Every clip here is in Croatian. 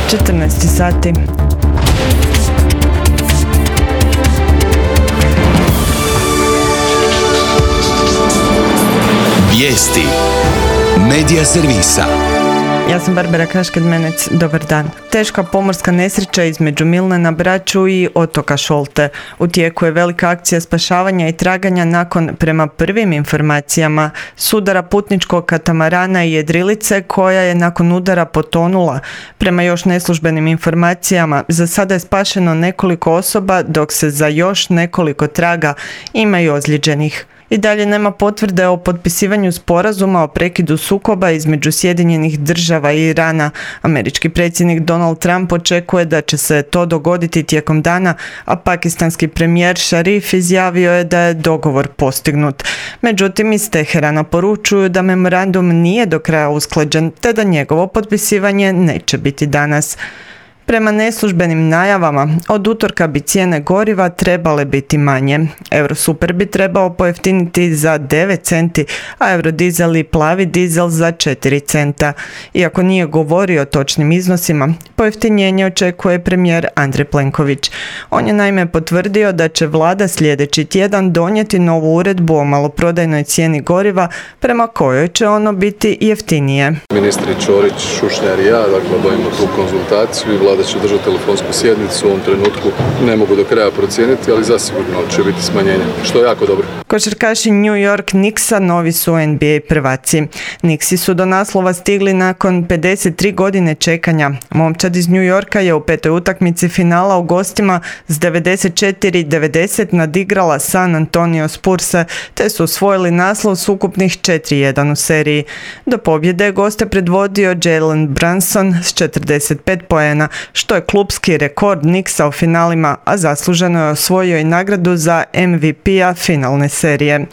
14 sati. Vijesti Medija servisa. Ja sam Barbara Kašked-Menec, dobar dan. Teška pomorska nesreća između Milne na Braču i otoka Šolte. U tijeku je velika akcija spašavanja i traganja nakon, prema prvim informacijama, sudara putničkog katamarana i jedrilice koja je nakon udara potonula. Prema još neslužbenim informacijama, za sada je spašeno nekoliko osoba, dok se za još nekoliko traga, ima i ozlijeđenih. I dalje nema potvrde o potpisivanju sporazuma o prekidu sukoba između Sjedinjenih Država i Irana. Američki predsjednik Donald Trump očekuje da će se to dogoditi tijekom dana, a pakistanski premijer Šarif izjavio je da je dogovor postignut. Međutim, iz Teherana poručuju da memorandum nije do kraja usklađen, te da njegovo potpisivanje neće biti danas. Prema neslužbenim najavama, od utorka bi cijene goriva trebale biti manje. Eurosuper bi trebao pojeftiniti za 9 centi, a eurodizel i plavi dizel za 4 centa. Iako nije govorio o točnim iznosima, pojeftinjenje očekuje premijer Andrej Plenković. On je naime potvrdio da će vlada sljedeći tjedan donijeti novu uredbu o maloprodajnoj cijeni goriva prema kojoj će ono biti jeftinije. Ministri Ćorić, Šušnjar i ja, obavimo tu konzultaciju i vlada će držati telefonsku sjednicu. U ovom trenutku ne mogu do kraja procijeniti, ali zasigurno će biti smanjenje, što je jako dobro. Košarkaši New York Knicksa novi su NBA prvaci. Knicksi su do naslova stigli nakon 53 godine čekanja. Momčad iz New Yorka je u petoj utakmici finala u gostima s 94-90 nadigrala San Antonio Spurse, te su osvojili naslov s ukupnih 4-1 u seriji. Do pobjede je goste predvodio Jalen Brunson s 45 poena, što je klupski rekord Knicksa u finalima, a zasluženo je osvojio i nagradu za MVP-a finalne serije.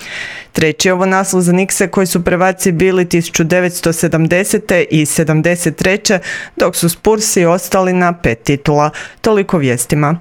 Treći ovo naslov za Knickse koji su prvaci bili 1970. i 73. dok su Spursi ostali na 5 titula. Toliko vijestima.